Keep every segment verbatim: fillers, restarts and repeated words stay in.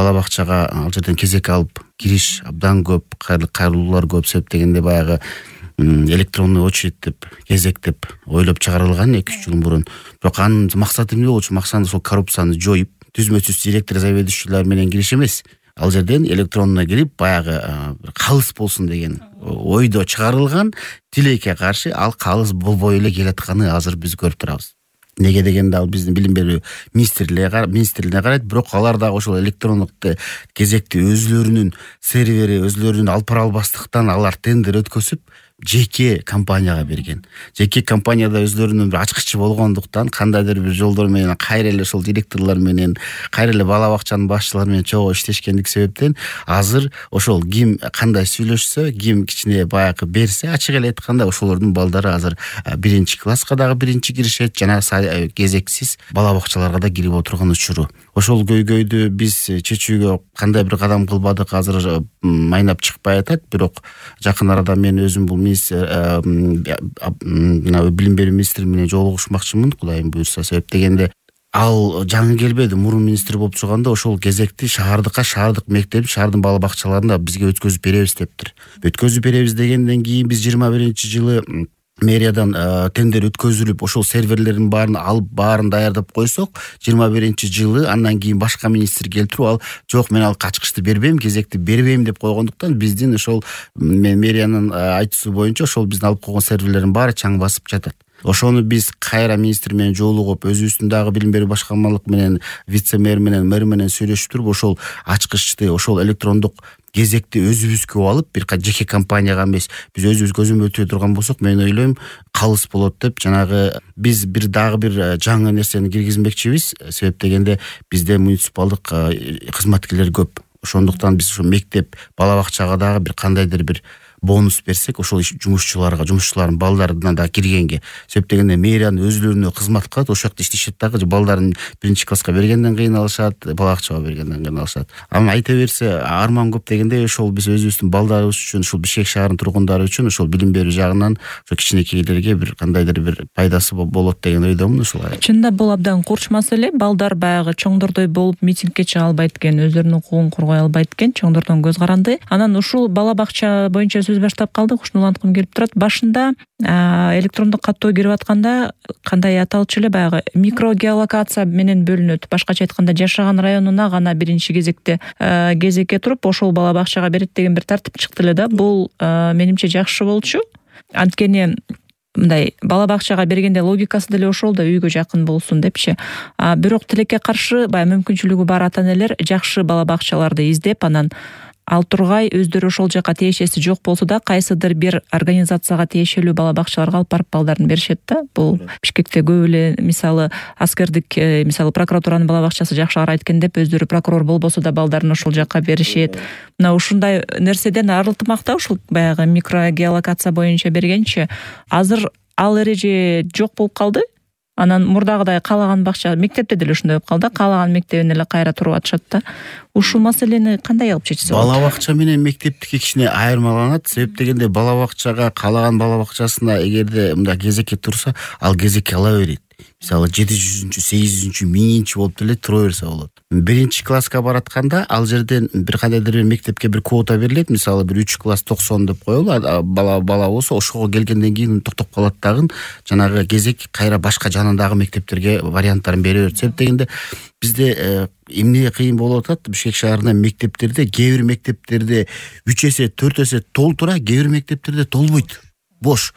бала бакчага ал жерден кезек алып кириш абдан көп, кайрылуулар көп себептегенде баягы электронный очередь деп, кезек деп ойлоп чыгарылган эки үч жыл мурун. Бирок анын максаты эмне болчу? Максаты ошол коррупцияны жоюп, түзмө-түз директор, заведующийлер менен кириш эмес. Ал жерден электронно кирип, баягы калыс болсун деген ойдо чыгарылган тилекке каршы ал калыс болбой эле келатканы азыр биз көрүп турабыз. Неге дегенде ал биздин билим берүү министрлигине министрлигине карайт, бирок алар дагы ошол электрондук кезекти өзлөрүнүн сервери, өзлөрүнүн алып бара албастыктан алар тендер өткөзүп, жеке компанияга берген. Жеке компанияда өзлөрүнүн бир ачкычы болгондуктан кандайдыр бир жолдор менен кайра эле ошол директорлор менен, кайра эле бала бакчанын башчылары менен чогуу иштешкендик себептен азыр ошол ким кандай сүйлөшсө, ким кичине баягы берсе, ачык эле айтканда ошолордун балдары азыр биринчи класска дагы биринчи киришет, жана кезексиз бала бакчаларга да кирип отурган учуру. Ошол көйгөйдү биз чечүүгө кандай бир кадам кылбадык азыр майнап чыкпай атат, бирок жакын арада мен өзүм бул билим берүү министри менен жолугушмакчымын, Кудайым буйрса, себеп дегенде ал жаңы келбеди. Мурун министр болуп турганда ошол кезекти шаардыкка, шаардык мектеп, шаардын бала бакчаларында бизге өткөзүп беребиз дептир. Өткөзүп беребиз дегенден кийин биз жыйырма биринчи жылы мэриядан тендер өткөзүлүп, ошол серверлердин баарын алып, баарын даярдап койсок, жыйырма биринчи жылы андан кийин башка министр келтирип, ал жок, мен ал ачкычты бербейм, кезекти бербейм деп койгондуктан биздин ошол мэриянын айтуусу боюнча ошол биздин алып койгон серверлердин баары чаң басып жатат. Ошону биз кайра министр менен жолугуп, өзүбүздүн дагы билим берүү башкармалык менен, вице-мэр менен, мэр менен сүйлөшүп туруп, ошол ачкычты, ошол электрондук кезекти өзүбүзгө алып, бир жеке компанияга эмес, биз өзүбүз көзөмөлдөй турган болсок, мен ойлойм, калыс болот деп. Жанагы биз бир дагы бир жаңы нерсени киргизмекчибиз, себеп дегенде бизде муниципалдык кызматкерлер көп. Ошондуктан биз ошо мектеп, бала бакчага дагы бир кандайдыр бир бонус берсек, ошол жумушчуларга, жумушчулардын балдарына да киргенге. Себеп дегенде мэриянын өзлөрүнө кызмат кылат, ошол жакта иштешет дагы, балдарын биринчи класска бергенден кыйналышат, бала бакчага бергенден кыйналышат. Ама айта берсе, арман көп дегенде ошол биз өзүбүздүн балдарыбыз үчүн, ушул Бишкек шаарынын тургундары үчүн ошол билим берүү жагынан ошо кичинекейлерге бир кандайдыр бир пайдасы болот деген ойдомун. Ошол чынында бул абдан курч маселе. Балдар баягы чоңдордой болуп митингке чыга албайт экен, өзлөрүнүн укугун коргой албайт экен, чоңдордон көз каранды. Анан ушул бала бакча боюнча сөз баштап калдык, ушуну уланткым келип турат. Башында электрондук каттоо кирип атканда кандай аталчу эле, баягы микрогеолокация менен бөлүнөт. Башкача айтканда, жашаган районуна гана биринчи кезекте кезекке туруп, ошол бала бакчага берет деген бир тартип чыкты эле да. Бул менимче жакшы болчу. Анткени мындай бала бакчага бергенде логикасы деле ошол да, үйгө жакын болсун депчи. Бирок тилекке каршы баягы мүмкүнчүлүгү бар ата энелер жакшы бала бакчаларды издеп, анан ал тургай өздөрү ошол жака тиешеси жок болсо да кайсыдыр бир организацияга тиешелүү бала бакчаларга алып барып балдарын беришет да. Бул Бишкекте көп эле, мисалы аскердик, мисалы прокуратуранын бала бакчасы жакшы карайт экен деп, өздөрү прокурор болбосо да балдарын ошол жака беришет. Мына ушундай нерседен арылтмак да, ушул баягы микрогеолокация боюнча бергенчи. Азыр ал эреже жок болуп калды. Анан мурдагыдай каалаган бакча, мектепте деле ушундай болуп калды, каалаган мектебине эле кайра туруп атышат да. Ушул маселени кандай алып чечсе болот? Бала бакча менен мектептики кичине айырмаланат. Себеп дегенде бала бакчага, каалаган бала бакчасына эгерде мындай кезекке турса, ал кезекке ала берет. Мисалы жети жүзүнчү, сегиз жүзүнчү, миңинчи болуп деле тура берсе болот. Биринчи класска баратканда ал жерден бир кандайдыр бир мектепке бир квота берилет. Мисалы бир үч класс токсон деп коелу, бала бала болсо ошого келгенден кийин токтоп калат дагы, жанагы кезек кайра башка жанындагы мектептерге варианттарын бере берет. Себеп дегенде бизде эмне кыйын болуп атат? Бишкек шаарында мектептерде, кээ бир мектептерде үч эсе, төрт эсе толтура, кээ бир мектептерде толбойт. Бош.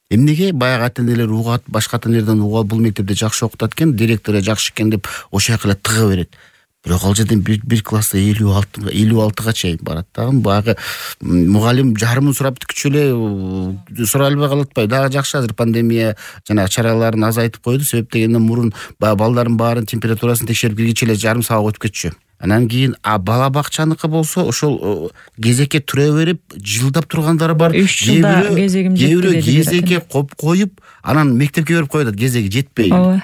Эмнеге? Баягы ата энелер угат, башка ата энелерден угат, бул мектепте жакшы окутат экен, директору жакшы экен деп ошол жака эле тыга берет. Бирок ал жерден бир класста элүү алты, элүү алтыга чейин барат дагы. Баягы мугалим жарымын сурап бүткүчү эле сурай албай калат атпайбы? Дагы жакшы азыр пандемия жана чараларын азайтып койду. Себеп дегенде мурун балдардын баарын температурасын текшерип киргиче эле жарым саат өтүп кетчү. Анан кийин а бала бакчаныкы болсо ошол кезекке тура берип жылдап тургандары бар. үч жылда кезегим жетти. Кезекке коп коюп, анан мектепке берип коет, кезеги жетпей. Ооба,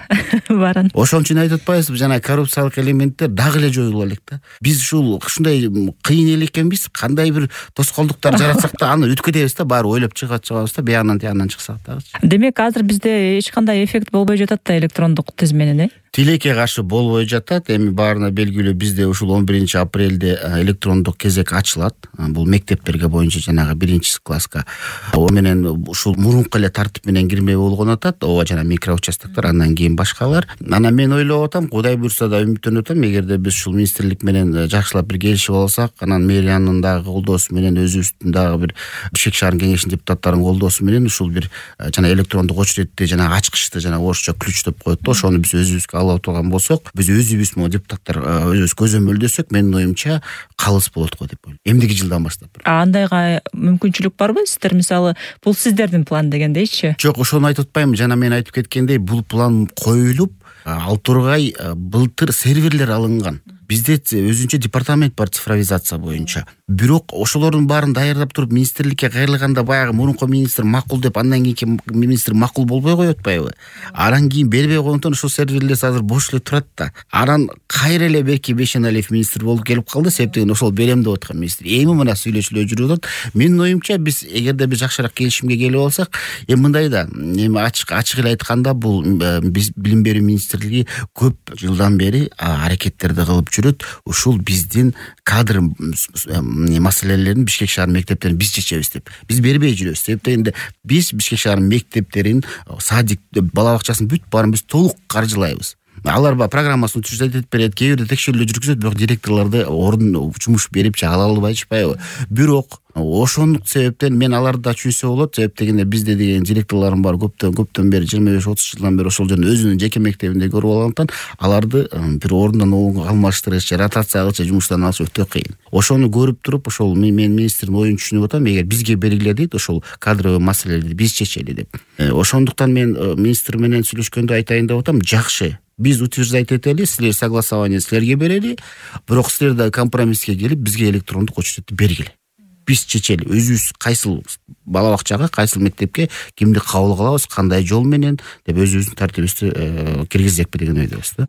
барын. Ошон үчүн айтып атпайбызбы, жана коррупциялык элементтер дагы эле жоюла элек да. Биз ушул ушундай кыйын эле экенбиз, кандай бир тоскоолдуктар жаратсак да аны өткөтөбүз да, баары ойлоп чыгат чыгабыз да, биягынан тиягынан чыксак дагычы. Демек азыр бизде эч кандай эффект болбой жатат да электрондук тизменен, э? Тилекке каршы болбой жатат. Эми баарына белгилүү, бизде ушул он биринчи апрелде электрондук кезек ачылат. Бул мектептерге боюнча жанагы биринчи класска. О менен ушул мурунку эле тартип менен кирмей болгон атат. Ооба жана микроучастоктор, андан кийин башкалар. Анан мен ойлоп атам, Кудай буйрса да үмүттөнүп атам, эгерде биз ушул министрлик менен жакшылап бир келишип алсак, анан мэриянын дагы колдоосу менен, өзүбүздүн дагы бир Бишкек шаар кеңешинин депутаттарынын колдоосу менен ушул бир жана электрондук очередти жана ачкычты жана орусча ключ деп коет да, ошону биз өзүбүзгө алып отурган болсок, биз өзүбүз могу депутаттар өзүбүз көзөмөлдөсөк, менин оюмча калыс болот го деп ойлойм. Эмдиги жылдан баштап. Андайга мүмкүнчүлүк барбы? Сиздер мисалы бул сиздердин план дегендейчи? Жок, ошону айтып атпаймынбы. Жана мен айтып кеткендей, бул план коюлуп, ал тургай былтыр серверлер алынган. Бизде өзүнчө департамент бар цифровизация боюнча. Бирок ошолордун баарын даярдап туруп министрликке кайрылганда баягы мурунку министр макул деп, андан кийинки министр макул болбой коет атпайбы? Анан кийин бербей койгондон ошол серверлер азыр бош эле турат да. Анан кайра эле Берки Бешеналиев министр болуп келип калды, себептен ошол берем деп аткан министр. Эми мына сүйлөшүүлөр жүрүп атат. Менин оюмча биз эгерде биз жакшыраак келишимге келип алсак, эми мындай да, эми ачык ачык эле айтканда, бул биз билим берүү министрлиги көп жылдан бери аракеттерди кылып жүрөт. Ушул биздин кадр маселелерин Бишкек шаар мектептерин биз чечебиз деп. Биз бербей жүрөбүз. Себептен биз Бишкек шаар мектептерин, садик, бала бакчасын бүт баарын биз толук каржылайбыз. Алар ба программасын түзөтүп берет, кээ бирде текшерүүлөр жүргүзөт, бирок директорлорду орун жумуш берип чыгара албайчпайбы. Бирок ошондук себептен мен аларды да чүйсө болот. Себеп дегенде бизде деген директорлорум бар, көптөн көптөн бери жыйырма беш отуз жылдан бери ошол жерде өзүнүн жеке мектебинде көрүп алгандыктан аларды бир орундан орунга алмаштырыш, ротация кылыш, жумуштан алыш өтө кыйын. Ошону көрүп туруп, ошол мен министрдин оюн түшүнүп атам, эгер бизге бергиле дейт, ошол кадровый маселелерди биз чечели деп. Ошондуктан мен министр менен сүйлөшкөндө айтайын деп атам, жакшы. Биз утверждать этели, силер согласование силерге берели, бирок силер да компромисске келип бизге электрондук очередти бергиле. Биз чечели, өзүбүз кайсыл бала бакчага, кайсыл мектепке кимди кабыл кылабыз, кандай жол менен деп өзүбүздүн тартибибизди киргизекпи деген ойдобуз да.